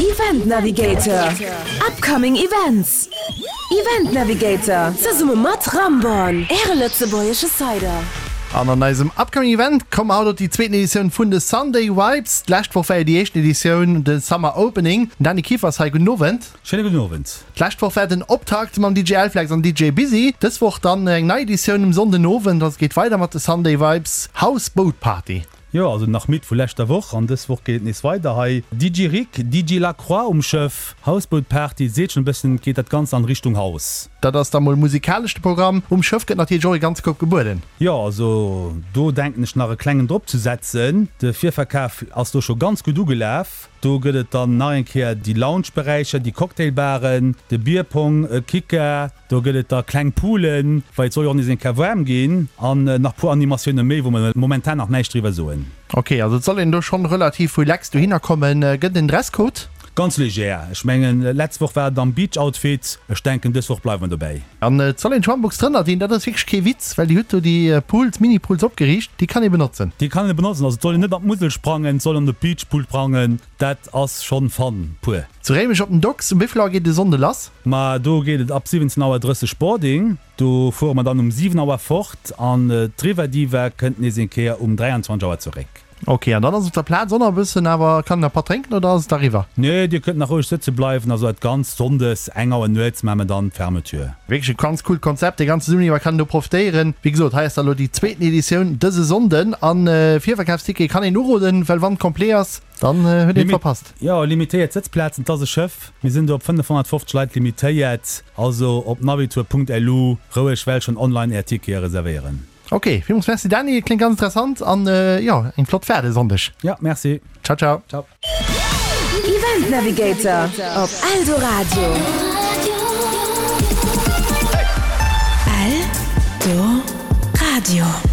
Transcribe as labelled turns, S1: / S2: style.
S1: Event Navigator, Upcoming Events. Event Navigator, zesumme mat Ramborn, Äre lëtzebuergesche Cider.
S2: An an eisem Upcoming Event komme haut op déi zweeten Editioun vun de Sunday Vibes. D'lescht Woch war jo déi éischten Editioun, de Summer Opening. Den Dany Kieffer ass hei. Gudden Owend.
S3: Schéine gudden Owend.
S2: D'lescht Woch war den Optakt mam DJ Elflex an DJ Busy. Dës Woch dann eng nei Editioun um Sonnden Owend. Also et geet weider mat de Sunday Vibes House Boat Party.
S3: Jo, also nach midd vu leschter Woch an dës Woch geet et nees weider hei. DJ Rick, DJ Lacroix um Schëff, Houseboat Party, et seet schonn e bëssen, et geet dat Ganzt an Richtung House.
S2: Dat ass da mol musikalesch de Programm. Um Schëff gëtt natierlech och e ganze Koup gebueden.
S3: Jo, also do denken ech nach e klengen drop ze setzen. De Virverkaf ass do scho ganz gutt ugelaf. Do gëtt et dann nach eng Kéier déi Lounge-Beräicher, déi Cocktailbaren, de Bierpong, e Kicker. Do gëtt et da kleng Poolen, well et soll jo och nees eng Kéier waarm ginn, an nach puer Animatioune méi, wou mer momentan nach näischt driwwer soen.
S2: Ok, also et soll een do schonn relativ relax dohinner kommen. Gëtt et en Dresscode?
S3: Ganz leger. Ech mengen, letz Woch war et am Beach-Outfit. Ech denken, dës Woch bleiwe mer dobäi.
S2: An et soll een d'Schwammbox drënner dinn, dat ass wierklech kee Witz, well déi huet do déi Pools, Mini-Pools opgeriicht, déi kann ee benotzen.
S3: Déi kann ee benotzen, also et soll een net an d'Musel sprangen, et soll an de Beachpool sprangen, dat ass schonn Fun pur.
S2: Zu Réimech op den Docks, um wéi vill Auer geet et e Sonnde lass?
S3: Ma do geet et ab 17 Auer 30 Boarding, do fuere mer dann um 7 Auer fort an d'River Diva kënnt nees eng Kéier um 23 Auer zeréck.
S2: Ok, an dann ass op der Plaz och nach e bëssen, awer kann een nach Patt drénken oder ass et eriwwer?
S3: Nee, dir kënnt nach roueg sëtze bleiwen, also dat Ganzt Sonndes eng Auer nuets maache mer dann d'Fermeture.
S2: Wierklech e ganz coolt Konzept, dee ganze Summer iwwer kann een do profitéieren. Wéi gesot, hei ass da elo déi zweeten Editioun dëse Sonnden an Virverkafsticket kann een uroden, well wann et complet ass, Dann huet een et verpasst.
S3: Jo, limitéiert Sëtzplazen, et ass e Schëff, mir sinn do op 550 Leit limitéiert, also op navitour.lu roueg well schonn online är Tickete reservéieren.
S2: Ok, villmools Merci Dany, kléngt ganz interessant an jo, eng flott Fahrt e Sonndeg.
S3: Jo, merci.
S2: Ciao ciao.
S3: Ciao.
S1: Event Navigator op Eldoradio. Eldoradio.